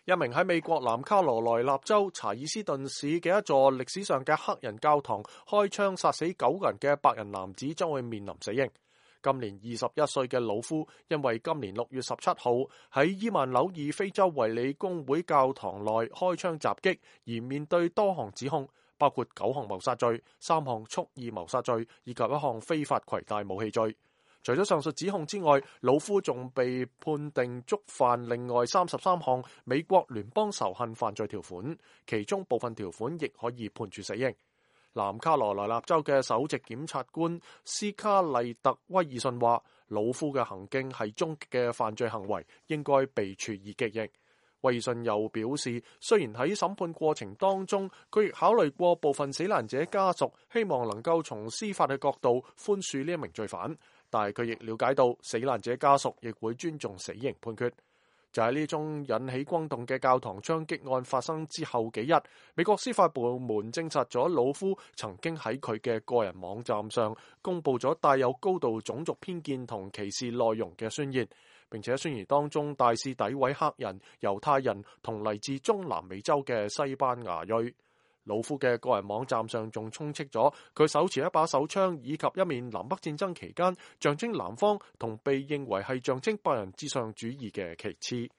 一名喺美國南卡羅來納州查爾斯頓市嘅一座歷史上嘅黑人教堂開槍殺死9個人嘅白人男子將會面臨死刑。今年21歲嘅魯夫因為今年6月17號喺伊萬紐爾非洲衛理公會教堂內開槍襲擊而面對多項指控，包括9項謀殺罪、3項蓄意謀殺罪以及1項非法攜帶武器罪。除咗上述指控之外，魯夫仲被判定觸犯另外33項美國聯邦仇恨犯罪條款，其中部分條款亦可以判處死刑。南卡羅來納州嘅首席檢察官斯卡利特威爾遜話，魯夫嘅行徑係終極嘅犯罪行為，應該被處以極刑。威爾遜又表示，雖然喺審判過程當中，佢亦考慮過部分死難者家屬希望能夠從司法嘅角度寬恕呢一名罪犯，但係佢亦了解到死難者家屬亦會尊重死刑判決。就喺呢宗引起轟動嘅教堂槍擊案發生之後幾日，美國司法部門證實咗魯夫曾經喺佢嘅個人網站上公布咗帶有高度種族偏見同歧視內容嘅宣言，並且宣言當中大肆詆毀黑人、猶太人同嚟自中南美洲嘅西班牙裔。魯夫嘅個人網站上仲充斥咗佢手持一把手槍以及一面南北戰爭期間象徵南方同被認為係象徵白人至上主義嘅旗幟。